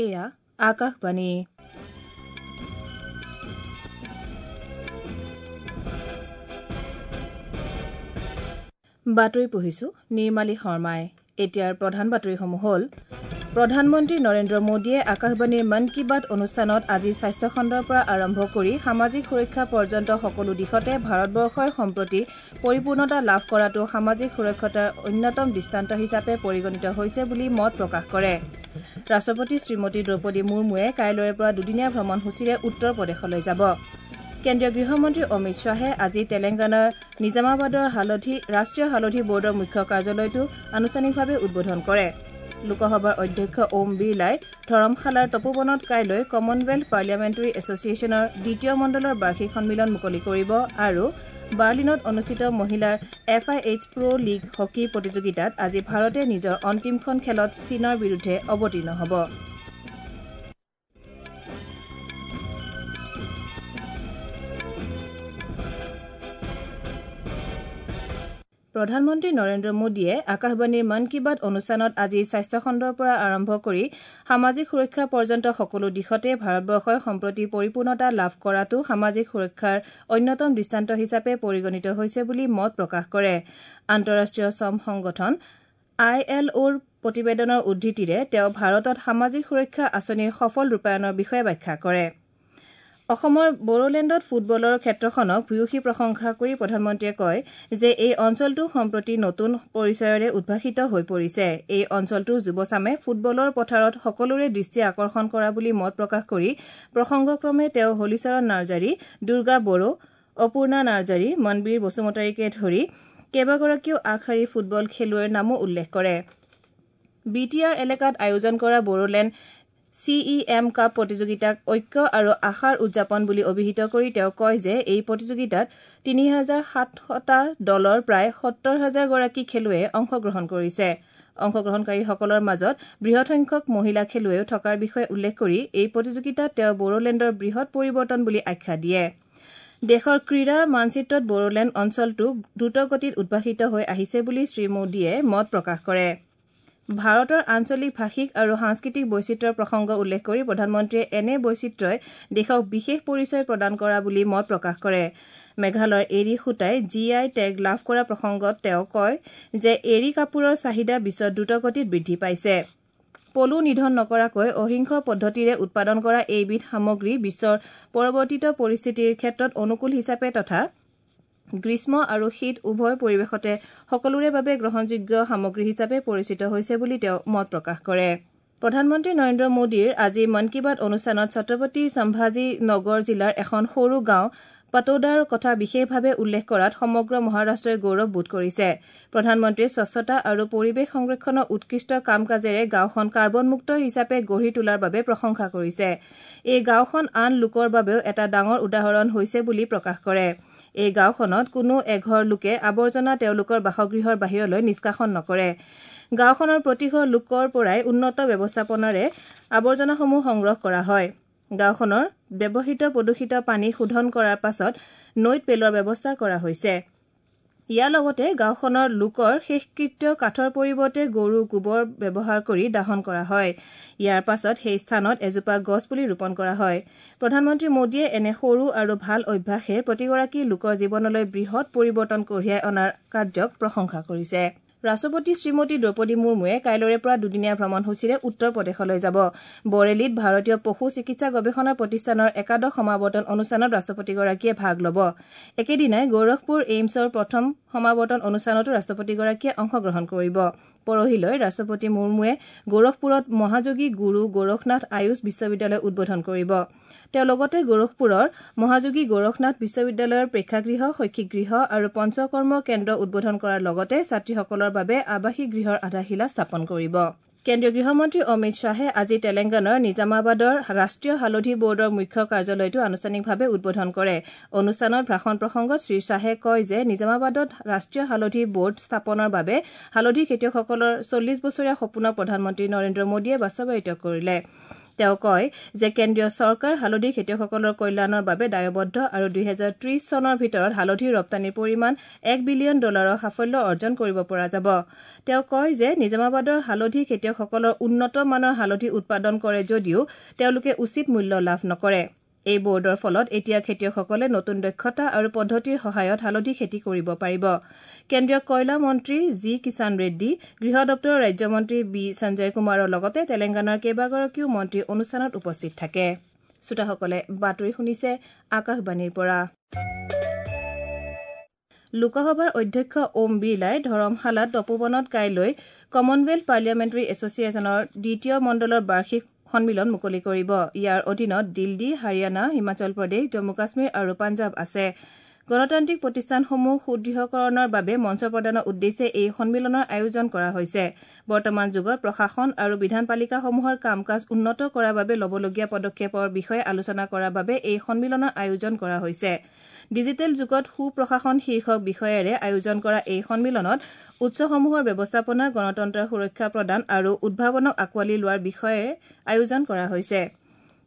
এয়া আকাশবাণী। বাতৰি পঢ়িছো নিৰ্মালী শৰ্মাই। এতিয়াৰ প্ৰধান বাতৰিসমূহ হ'ল: প্ৰধানমন্ত্ৰী নৰেন্দ্ৰ মোদীয়ে আকাশবাণীৰ মন কী বাত অনুষ্ঠানত আজি স্বাস্থ্যখণ্ডৰ পৰা আৰম্ভ কৰি সামাজিক সুৰক্ষা পৰ্যন্ত সকলো দিশতে ভাৰতবৰ্ষই সম্প্ৰতি পৰিপূৰ্ণতা লাভ কৰাটো সামাজিক সুৰক্ষতাৰ অন্যতম দৃষ্টান্ত হিচাপে পৰিগণিত হৈছে বুলি মত প্ৰকাশ কৰে। ৰাষ্ট্ৰপতি শ্ৰীমতী দ্ৰৌপদী মুৰ্মুৱে কাইলৈৰ পৰা দুদিনীয়া ভ্ৰমণসূচীৰে উত্তৰ প্ৰদেশলৈ যাব। কেন্দ্ৰীয় গৃহমন্ত্ৰী অমিত শ্বাহে আজি তেলেংগানাৰ নিজামাবাদৰ ৰাষ্ট্ৰীয় হালধি বৰ্ডৰ মুখ্য কাৰ্যালয়টো আনুষ্ঠানিকভাৱে উদ্বোধন কৰে। লোকসভাৰ অধ্যক্ষ ওম বিৰলাই ধৰমশালাৰ তপোবনত কাইলৈ কমনৱেলথ পাৰ্লিয়ামেণ্টাৰী এছ'চিয়েশ্যনৰ দ্বিতীয় মণ্ডলৰ বাৰ্ষিক সন্মিলন মুকলি কৰিব আৰু বাৰ্লিনত অনুষ্ঠিত মহিলাৰ F I H pro league hockey প্ৰতিযোগিতাত আজি ভাৰতে নিজৰ অন্তিমখন খেলত চীনৰ বিৰুদ্ধে অৱতীৰ্ণ হ'ব। প্ৰধানমন্ত্ৰী নৰেন্দ্ৰ মোদীয়ে আকাশবাণীৰ মন কী বাত অনুষ্ঠানত আজি স্বাস্থ্যখণ্ডৰ পৰা আৰম্ভ কৰি সামাজিক সুৰক্ষা পৰ্যন্ত সকলো দিশতে ভাৰতবৰ্ষই সম্প্ৰতি পৰিপূৰ্ণতা লাভ কৰাটো সামাজিক সুৰক্ষাৰ অন্যতম দৃষ্টান্ত হিচাপে পৰিগণিত হৈছে বুলি মত প্ৰকাশ কৰে। আন্তঃৰাষ্ট্ৰীয় শ্ৰম সংগঠন I L অ'ৰ প্ৰতিবেদনৰ উদ্ধৃতিৰে তেওঁ ভাৰতত সামাজিক সুৰক্ষা আঁচনিৰ সফল ৰূপায়ণৰ বিষয়ে ব্যাখ্যা কৰে। অসমৰ বড়োলেণ্ডত ফুটবলৰ ক্ষেত্ৰখনক ভূয়সী প্ৰশংসা কৰি প্ৰধানমন্ত্ৰীয়ে কয় যে এই অঞ্চলটো সম্প্ৰতি নতুন পৰিচয়ৰে উদ্ভাসিত হৈ পৰিছে। এই অঞ্চলটোৰ যুৱচামে ফুটবলৰ পথাৰত সকলোৰে দৃষ্টি আকৰ্ষণ কৰা বুলি মত প্ৰকাশ কৰি প্ৰসংগক্ৰমে তেওঁ হোলীচৰণ নাৰ্জাৰী, দুৰ্গা বড়ো, অপূৰ্ণা নাৰ্জাৰী, মনবীৰ বসুমতাৰীকে ধৰি কেইবাগৰাকীও আগশাৰীৰ ফুটবল খেলুৱৈৰ নামো উল্লেখ কৰে। বি টি আৰ এলেকাত আয়োজন কৰা Bodoland C E M cup প্ৰতিযোগিতাক ঐক্য আৰু আশাৰ উদযাপন বুলি অভিহিত কৰি তেওঁ কয় যে এই প্ৰতিযোগিতাত ৩,৭০০টা দলৰ প্ৰায় ৭০,০০০ গৰাকী খেলুৱৈয়ে অংশগ্ৰহণ কৰিছে। অংশগ্ৰহণকাৰীসকলৰ মাজত বৃহৎ সংখ্যক মহিলা খেলুৱৈও থকাৰ বিষয়ে উল্লেখ কৰি এই প্ৰতিযোগিতাত তেওঁ বড়োলেণ্ডৰ বৃহৎ পৰিৱৰ্তন বুলি আখ্যা দিয়ে। দেশৰ ক্ৰীড়া মানচিত্ৰত বড়োলেণ্ড অঞ্চলটো দ্ৰুতগতিত উদ্ভাসিত হৈ আহিছে বুলি শ্ৰীমোদীয়ে মত প্ৰকাশ কৰে। ভাৰতৰ আঞ্চলিক ভাষিক আৰু সাংস্কৃতিক বৈচিত্ৰ্যৰ প্ৰসংগ উল্লেখ কৰি প্ৰধানমন্ত্ৰীয়ে এনে বৈচিত্ৰ্যই দেশক বিশেষ পৰিচয় প্ৰদান কৰা বুলি মত প্ৰকাশ কৰে। মেঘালয়ৰ এৰী সূতাই জি I tag লাভ কৰা প্ৰসংগত তেওঁ কয় যে এৰী কাপোৰৰ চাহিদা বিশ্বত দ্ৰুতগতিত বৃদ্ধি পাইছে। পলু নিধন নকৰাকৈ অহিংস পদ্ধতিৰে উৎপাদন কৰা এইবিধ সামগ্ৰী বিশ্বৰ পৰিৱৰ্তিত পৰিস্থিতিৰ ক্ষেত্ৰত অনুকূল হিচাপে তথা গ্ৰীষ্ম আৰু শীত উভয় পৰিৱেশতে সকলোৰে বাবে গ্ৰহণযোগ্য সামগ্ৰী হিচাপে পৰিচিত হৈছে বুলি তেওঁ মত প্ৰকাশ কৰে। প্ৰধানমন্ত্ৰী নৰেন্দ্ৰ মোদীৰ আজি মন কী বাত অনুষ্ঠানত ছত্ৰপতি সম্ভাজী নগৰ জিলাৰ এখন সৰু গাঁও পাটোদাৰ কথা বিশেষভাৱে উল্লেখ কৰাত সমগ্ৰ মহাৰাষ্ট্ৰই গৌৰৱ বোধ কৰিছে। প্ৰধানমন্ত্ৰীয়ে স্বচ্ছতা আৰু পৰিৱেশ সংৰক্ষণৰ উৎকৃষ্ট কাম কাজেৰে গাঁওখন কাৰ্বনমুক্ত হিচাপে গঢ়ি তোলাৰ বাবে প্ৰশংসা কৰিছে। এই গাঁওখন আন লোকৰ বাবেও এটা ডাঙৰ উদাহৰণ হৈছে বুলি প্ৰকাশ কৰে। এই গাঁওখনত কোনো এঘৰ লোকে আৱৰ্জনা তেওঁলোকৰ বাসগৃহৰ বাহিৰলৈ নিষ্কাশন নকৰে। গাঁওখনৰ প্ৰতিঘৰ লোকৰ পৰাই উন্নত ব্যৱস্থাপনাৰে আৱৰ্জনাসমূহ সংগ্ৰহ কৰা হয়। গাঁওখনৰ ব্যৱহৃত প্ৰদূষিত পানী শোধন কৰাৰ পাছত নৈত পেলোৱাৰ ব্যৱস্থা কৰা হৈছে। ইয়াৰ লগতে গাঁওখনৰ লোকৰ শেষকৃত্য কাঠৰ পৰিৱৰ্তে গৰু গোবৰ ব্যৱহাৰ কৰি দাহন কৰা হয়। ইয়াৰ পাছত সেই স্থানত এজোপা গছপুলি ৰোপণ কৰা হয়। প্ৰধানমন্ত্ৰী মোদীয়ে এনে সৰু আৰু ভাল অভ্যাসে প্ৰতিগৰাকী লোকৰ জীৱনলৈ বৃহৎ পৰিৱৰ্তন কঢ়িয়াই অনাৰ কাৰ্যক প্ৰশংসা কৰিছে। ৰাষ্ট্ৰপতি শ্ৰীমতী দ্ৰৌপদী মুৰ্মুৱে কাইলৈৰে পৰা দুদিনীয়া ভ্ৰমণসূচীৰে উত্তৰ প্ৰদেশলৈ যাব। বৰেলীত ভাৰতীয় পশু চিকিৎসা গৱেষণা প্ৰতিষ্ঠানৰ একাদশ সমাৱৰ্তন অনুষ্ঠানত ৰাষ্ট্ৰপতিগৰাকীয়ে ভাগ ল'ব। একেদিনাই গোৰখপুৰ এইমছৰ প্ৰথম সমাৱৰ্তন অনুষ্ঠানতো ৰাষ্ট্ৰপতিগৰাকীয়ে অংশগ্ৰহণ কৰিব। পৰহিলৈ ৰাষ্ট্ৰপতি মুৰ্মুৱে গোৰখপুৰত মহাযোগী গুৰু গোৰখনাথ আয়ুষ বিশ্ববিদ্যালয় উদ্বোধন কৰিব। তেওঁ লগতে গোৰখপুৰৰ মহাযোগী গোৰখনাথ বিশ্ববিদ্যালয়ৰ প্ৰেক্ষাগৃহ, শৈক্ষিক গৃহ আৰু পঞ্চকৰ্ম কেন্দ্ৰ উদ্বোধন কৰাৰ লগতে ছাত্ৰীসকলৰ বাবে আৱাসিক গৃহৰ আধাৰশিলা স্থাপন কৰিব। কেন্দ্ৰীয় গৃহমন্ত্ৰী অমিত শ্বাহে আজি তেলেংগানাৰ নিজামাবাদৰ ৰাষ্ট্ৰীয় হালধি বৰ্ডৰ মুখ্য কাৰ্যালয়টো আনুষ্ঠানিকভাৱে উদ্বোধন কৰে। অনুষ্ঠানত ভাষণ প্ৰসংগত শ্ৰীশ্বাহে কয় যে নিজামাবাদত ৰাষ্ট্ৰীয় হালধি বৰ্ড স্থাপনৰ বাবে হালধি খেতিয়কসকলৰ ৪০ বছৰীয়া সপোনক প্ৰধানমন্ত্ৰী নৰেন্দ্ৰ মোদীয়ে বাস্তৱায়িত কৰিলে। তেওঁ কয় যে কেন্দ্ৰীয় চৰকাৰ হালধি খেতিয়কসকলৰ কল্যাণৰ বাবে দায়বদ্ধ আৰু ২০৩০ চনৰ ভিতৰত হালধিৰ ৰপ্তানিৰ পৰিমাণ ১ বিলিয়ন ডলাৰৰ সাফল্য অৰ্জন কৰিব পৰা যাব। তেওঁ কয় যে নিজামাবাদৰ হালধি খেতিয়কসকলৰ উন্নত মানৰ হালধি উৎপাদন কৰে যদিও তেওঁলোকে উচিত মূল্য লাভ নকৰে। এই বৰ্ডৰ ফলত এতিয়া খেতিয়কসকলে নতুন দক্ষতা আৰু পদ্ধতিৰ সহায়ত হালধি খেতি কৰিব পাৰিব। কেন্দ্ৰীয় কয়লা মন্ত্ৰী জি কিষাণ ৰেড্ডী, গৃহ দপ্তৰৰ ৰাজ্যমন্ত্ৰী বি সঞ্জয় কুমাৰৰ লগতে তেলেংগানাৰ কেইবাগৰাকীও মন্ত্ৰী অনুষ্ঠানত উপস্থিত থাকে। শ্ৰোতাসকলে বাতৰি শুনিছে আকাশবাণীৰ পৰা। লোকসভাৰ অধ্যক্ষ ওম বিৰলাই ধৰমশালাত তপোবনত কাইলৈ কমনৱেলথ পাৰ্লিয়ামেণ্টাৰী এছ'চিয়েশ্যনৰ দ্বিতীয় মণ্ডলৰ বাৰ্ষিক সন্মিলন মুকলি কৰিব। ইয়াৰ অধীনত দিল্লী, হাৰিয়ানা, হিমাচল প্ৰদেশ, জম্মু কাশ্মীৰ আৰু পাঞ্জাৱ আছে। গণতান্ত্ৰিক প্ৰতিষ্ঠানসমূহ সুদৃঢ়কৰণৰ বাবে মঞ্চ প্ৰদানৰ উদ্দেশ্যে এই সন্মিলনৰ আয়োজন কৰা হৈছে। বৰ্তমান যুগত প্ৰশাসন আৰু বিধানপালিকাসমূহৰ কাম কাজ উন্নত কৰাৰ বাবে ল'বলগীয়া পদক্ষেপৰ বিষয়ে আলোচনা কৰাৰ বাবে এই সন্মিলনৰ আয়োজন কৰা হৈছে। ডিজিটেল যুগত সুপ্ৰশাসন শীৰ্ষক বিষয়েৰে আয়োজন কৰা এই সন্মিলনত উৎসসমূহৰ ব্যৱস্থাপনা, গণতন্ত্ৰৰ সুৰক্ষা প্ৰদান আৰু উদ্ভাৱনক আঁকোৱালি লোৱাৰ বিষয়ে আয়োজন কৰা হৈছে।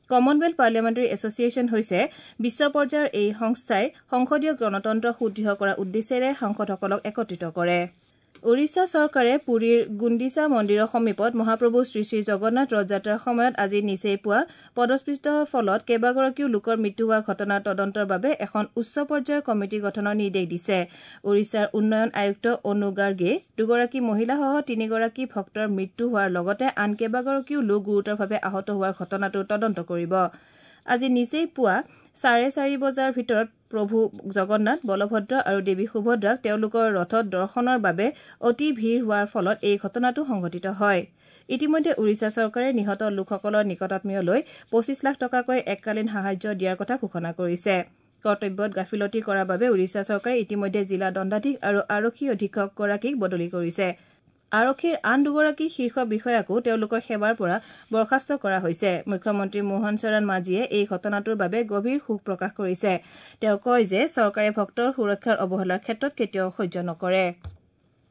কমনৱেলথ পাৰ্লিয়ামেণ্টাৰী এছ'চিয়েশ্যন হৈছে বিশ্ব পৰ্যায়ৰ এই সংস্থাই সংসদীয় গণতন্ত্ৰ সুদৃঢ় কৰাৰ উদ্দেশ্যেৰে সাংসদসকলক একত্ৰিত কৰে। ওড়িশা চৰকাৰে পুৰীৰ গুণ্ডিচা মন্দিৰৰ সমীপত মহাপ্ৰভু শ্ৰীশ্ৰী জগন্নাথ ৰথযাত্ৰাৰ সময়ত আজি নিচেই পুৱা পদস্পৃষ্টৰ ফলত কেইবাগৰাকীও লোকৰ মৃত্যু হোৱা ঘটনাৰ তদন্তৰ বাবে এখন উচ্চ পৰ্যায়ৰ কমিটি গঠনৰ নিৰ্দেশ দিছে। ওড়িশাৰ উন্নয়ন আয়ুক্ত অনু গাৰ্গে দুগৰাকী মহিলাসহ তিনিগৰাকী ভক্তৰ মৃত্যু হোৱাৰ লগতে আন কেইবাগৰাকীও লোক গুৰুতৰভাৱে আহত হোৱাৰ ঘটনাটোৰ তদন্ত কৰিব। আজি নিচেই পুৱা 4:30 বজাৰ ভিতৰত প্ৰভু জগন্নাথ, বলভদ্ৰ আৰু দেৱী সুভদ্ৰাক তেওঁলোকৰ ৰথত দৰ্শনৰ বাবে অতি ভিৰ হোৱাৰ ফলত এই ঘটনাটো সংঘটিত হয়। ইতিমধ্যে ওড়িশা চৰকাৰে নিহত লোকসকলৰ নিকটাত্মীয়লৈ ২৫ লাখ টকাকৈ এককালীন সাহায্য দিয়াৰ কথা ঘোষণা কৰিছে। কৰ্তব্যত গাফিলতি কৰাৰ বাবে ওড়িশা চৰকাৰে ইতিমধ্যে জিলা দণ্ডাধীশ আৰু আৰক্ষী অধীক্ষকগৰাকীক বদলি কৰিছে। আৰক্ষীৰ আন দুগৰাকী শীৰ্ষ বিষয়াকো তেওঁলোকৰ সেৱাৰ পৰা বৰ্খাস্ত কৰা হৈছে। মুখ্যমন্ত্ৰী মোহন চৰণ মাঝিয়ে এই ঘটনাটোৰ বাবে গভীৰ শোক প্ৰকাশ কৰিছে। তেওঁ কয় যে চৰকাৰে ভক্তৰ সুৰক্ষাৰ অৱহেলাৰ ক্ষেত্ৰত কেতিয়াও সহ্য নকৰে।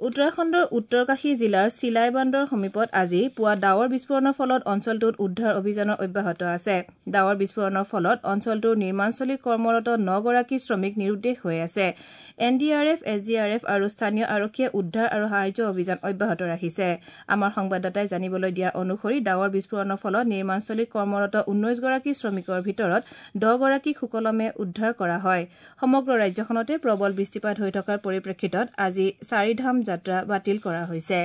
উত্তৰাখণ্ডৰ উত্তৰকাশী জিলাৰ চিলাইবান্দৰ সমীপত আজি পুৱা ডাৱৰ বিস্ফোৰণৰ ফলত অঞ্চলটোত উদ্ধাৰ অভিযানৰ অব্যাহত আছে। ডাৱৰ বিস্ফোৰণৰ ফলত অঞ্চলটোৰ নিৰ্মাণস্থলীত কৰ্মৰত ৯ গৰাকী শ্ৰমিক নিৰুদ্দেশ হৈ আছে। N D R F, S D R F আৰু স্থানীয় আৰক্ষীয়ে উদ্ধাৰ আৰু সাহায্য অভিযান অব্যাহত ৰাখিছে। আমাৰ সংবাদদাতাই জানিবলৈ দিয়া অনুসৰি ডাৱৰ বিস্ফোৰণৰ ফলত নিৰ্মাণস্থলীত কৰ্মৰত ১৯ গৰাকী শ্ৰমিকৰ ভিতৰত ১০ গৰাকীক সুকলমে উদ্ধাৰ কৰা হয়। সমগ্ৰ ৰাজ্যখনতে প্ৰবল বৃষ্টিপাত হৈ থকাৰ পৰিপ্ৰেক্ষিতত আজি চাৰিধাম যাত্ৰা বাতিল কৰা হৈছে।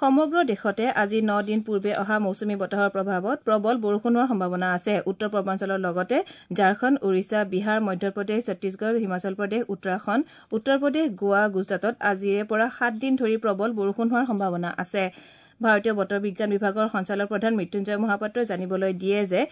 সমগ্ৰ দেশতে আজি ন দিন পূৰ্বে অহা মৌচুমী বতাহৰ প্ৰভাৱত প্ৰবল বৰষুণ হোৱাৰ সম্ভাৱনা আছে। উত্তৰ পূৰ্বাঞ্চলৰ লগতে ঝাৰখণ্ড, ওড়িশা, বিহাৰ, মধ্যপ্ৰদেশ, ছত্তীশগড়, হিমাচল প্ৰদেশ, উত্তৰাখণ্ড, উত্তৰ প্ৰদেশ, গোৱা, গুজৰাটত আজিৰে পৰা ৭ দিন ধৰি প্ৰবল বৰষুণ হোৱাৰ সম্ভাৱনা আছে। ভাৰতীয় বতৰ বিজ্ঞান বিভাগৰ সঞ্চালক প্ৰধান মৃত্যুঞ্জয় মহাপাত্ৰই জানিবলৈ দিয়ে যে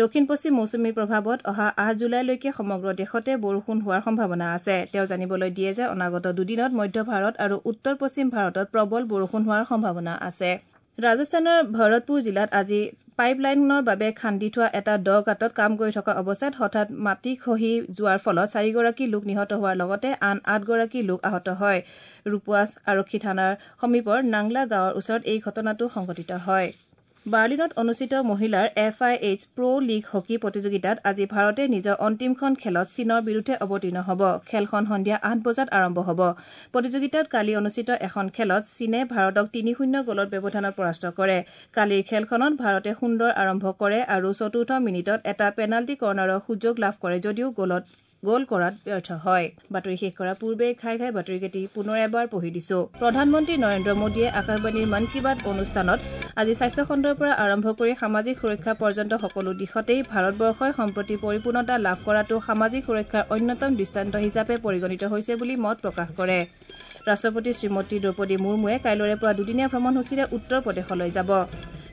দক্ষিণ পশ্চিম মৌচুমীৰ প্ৰভাৱত অহা ৮ জুলাইলৈকে সমগ্ৰ দেশতে বৰষুণ হোৱাৰ সম্ভাৱনা আছে। তেওঁ জানিবলৈ দিয়ে যে অনাগত দুদিনত মধ্য ভাৰত আৰু উত্তৰ পশ্চিম ভাৰতত প্ৰবল বৰষুণ হোৱাৰ সম্ভাৱনা আছে। ৰাজস্থানৰ ভৰতপুৰ জিলাত আজি পাইপ লাইনৰ বাবে খান্দি থোৱা এটা দ গাঁতত কাম কৰি থকা অৱস্থাত হঠাৎ মাটি খহি যোৱাৰ ফলত চাৰিগৰাকী লোক নিহত হোৱাৰ লগতে আন আঠগৰাকী লোক আহত হয়। ৰূপৱাছ আৰক্ষী থানাৰ সমীপৰ নাংলা গাঁৱৰ ওচৰত এই ঘটনাটো সংঘটিত হয়। বাৰ্লিনত অনুষ্ঠিত মহিলাৰ F I H Pro league hockey প্ৰতিযোগিতাত আজি ভাৰতে নিজৰ অন্তিমখন খেলত চীনৰ বিৰুদ্ধে অৱতীৰ্ণ হ'ব। খেলখন সন্ধিয়া ৮ বজাত আৰম্ভ হ'ব। প্ৰতিযোগিতাত কালি অনুষ্ঠিত এখন খেলত চীনে ভাৰতক ৩-০ গ'লৰ ব্যৱধানত পৰাস্ত কৰে। কালিৰ খেলখনত ভাৰতে সুন্দৰ আৰম্ভ কৰে আৰু চতুৰ্থ মিনিটত এটা পেনাল্টি কৰ্ণাৰৰ সুযোগ লাভ কৰে যদিও গ'ল কৰাত ব্যৰ্থ হয়। বাতৰি শেষ কৰাৰ পূৰ্বে ঘাই ঘাই বাতৰিকেইটি পুনৰ এবাৰ পঢ়ি দিছো। প্ৰধানমন্ত্ৰী নৰেন্দ্ৰ মোদীয়ে আকাশবাণীৰ মন কী বাত অনুষ্ঠানত আজি স্বাস্থ্যখণ্ডৰ পৰা আৰম্ভ কৰি সামাজিক সুৰক্ষা পৰ্যন্ত সকলো দিশতেই ভাৰতবৰ্ষই সম্প্ৰতি পৰিপূৰ্ণতা লাভ কৰাটো সামাজিক সুৰক্ষাৰ অন্যতম দৃষ্টান্ত হিচাপে পৰিগণিত হৈছে বুলি মত প্ৰকাশ কৰে। ৰাষ্ট্ৰপতি শ্ৰীমতী দ্ৰৌপদী মুৰ্মুৱে কাইলৈৰে পৰা দুদিনীয়া ভ্ৰমণসূচীৰে উত্তৰ প্ৰদেশলৈ যাব।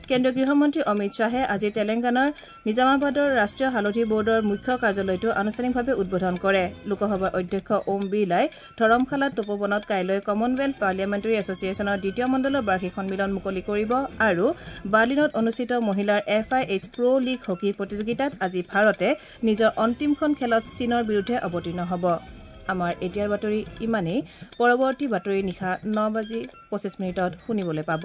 কেন্দ্ৰীয় গৃহমন্ত্ৰী অমিত শ্বাহে আজি তেলেংগানাৰ নিজামাবাদৰ ৰাষ্ট্ৰীয় হালধি বৰ্ডৰ মুখ্য কাৰ্যালয়টো আনুষ্ঠানিকভাৱে উদ্বোধন কৰে। লোকসভাৰ অধ্যক্ষ ওম বিৰলাই ধৰমশালাত তপোবনত কাইলৈ কমনৱেলথ পাৰ্লিয়ামেণ্টাৰী এছ'চিয়েশ্যনৰ দ্বিতীয় মণ্ডলৰ বাৰ্ষিক সন্মিলন মুকলি কৰিব আৰু বাৰ্লিনত অনুষ্ঠিত মহিলাৰ F I H Pro league hockey প্ৰতিযোগিতাত আজি ভাৰতে নিজৰ অন্তিমখন খেলত চীনৰ বিৰুদ্ধে অৱতীৰ্ণ হ'ব। আমাৰ এতিয়াৰ বাতৰি ইমানেই। পৰৱৰ্তী বাতৰি নিশা ৯ বাজি ২৫ মিনিটত শুনিবলৈ পাব।